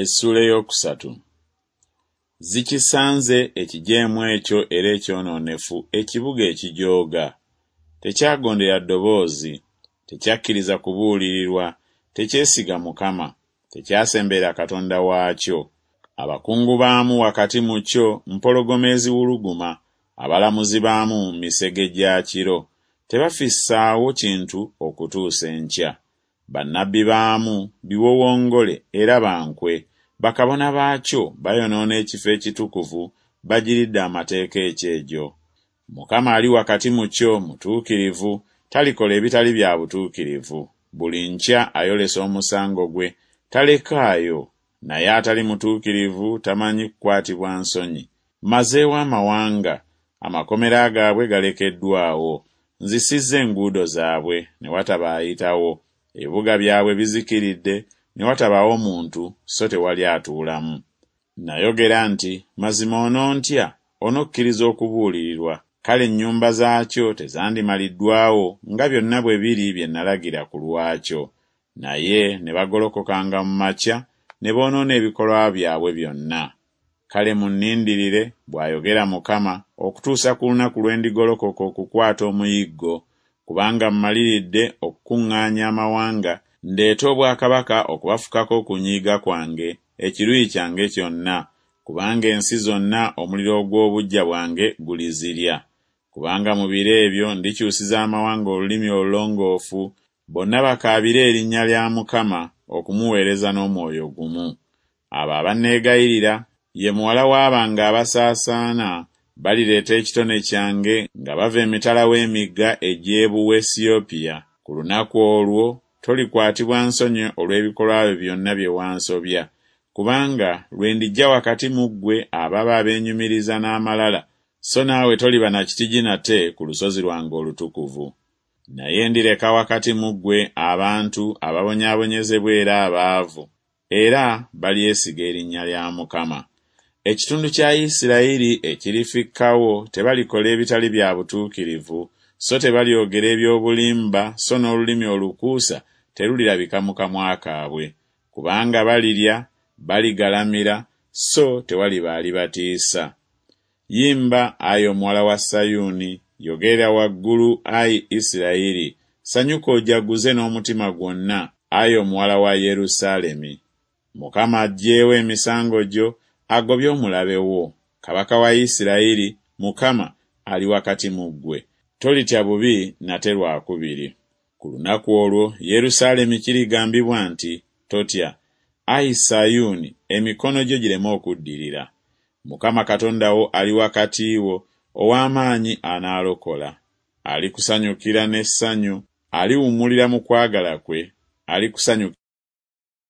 Essuula ey'okusatu. Zikisanze ekijeemu ekyo era ekyonoonefu, ekibuga ekijooga! Tekyagondera ddoboozi, tekyakkiriza kubuulirirwa, tekyesiga Mukama, tekyasemberera Katonda waakyo. Abakungu baamu wakati mu kyo mpologoma eziwuluguma, abalamuzi baamu misege gya kiro, tebafissaawo kintu okutuusa enkya. Bannabbi baamu biwowongole era ba nkwe, bakabona baakyo bayonoona ekifo ekitukuvu, bagiridde amateeka ekyejo. Mukama ali wakati mu kyo mutuukirivu, talikola ebitali bya butuukirivu. Buli nkya ayolesa omusango gwe, talekaayo, naye atali mutuukirivu tamanyi kukwatibwa nsonyi. Mmazeewo amawanga, amakomera gaabwe galekeddwawo, nzisizza enguudo zaabwe, ne wataba ayitawo, ebibuga byabwe bizikiridde, ne watabaawo muntu, so tewali atuulamu. Nayogera nti Mazima onontya, onokkiriza okubuulirirwa, kale ennyumba zaakyo tezandimaliddwawo nga byonna bwe biri bye nalagira ku lwakyo. Naye ne bagolokokanga mu makya ne boonoona ebikolwa byabwe byonna. Kale munnindirire, bw'ayogera Mukama, okutuusa ku lunaku lwe ndigolokoka okukwata omuyiggo, kubanga mmaliridde okukuŋŋaanya amawanga, ndeete obwakabaka okubafukako okunyiiga kwange, ekiruyi kyange kyonna, kubanga ensi zonna omuliro ogw'obuggya bwange gulizirya. Kubanga mu biro ebyo ndikyusiza amawanga olulimi olulongoofu, bonna bakaabire erinnya lya Mukama, okumuweereza n'omwoyo gumu. Abo abanneegayirira, ye muwala w'abange abasaasaana, balireeta ekitone kyange nga bava emitala w'emigga egy'Ebuwesiyopya. Ku lunaku olwo tolikwatibwa nsonyi olw'ebikolwa byo byonna bye wansobya, kubanga lwe ndiggya wakati mu ggwe ababo abeenyumiriza n'amalala, so naawe toliba na kitigi nate ku lusozi lwange olutukuvu. Naye ndireka wakati mu ggwe abantu ababonyaabonyezebwa era abaavu, era balyesiga erinnya lya Mukama. Ekitundu kya Isirayiri ekirifikkawo tebalikola ebitali bya butuukirivu, so tebalyogera eby'obulimba so n'olulimi olukuusa terulirabika mu kamwa kaabwe. Kubanga balirya, baligalamira, so tewaliba alibatiisa. Yimba, ayi omuwala wa Sayuuni, yogerera waggulu, ayi Isirayiri, sanyuka ojaguze n'omutima gwonna, ayi omuwala wa Yerusaalemi. Mukama aggyeewo emisango gyo, agobye omulabe wo. Kabaka wa Isirayiri, Mukama, ali wakati mu ggwe. Tolitya bubi nate lwakubiri. Ku lunaku olwo Yerusaalemi kirigambibwa nti, Totya, ayi Sayuuni, emikono gyo gireme okuddirira. Mukama Katonda wo ali wakati wo, ow'amaanyi anaalokola. Alikusanyukira n'essanyu, aliwummulira mu kwagala kwe, alikusanyukira.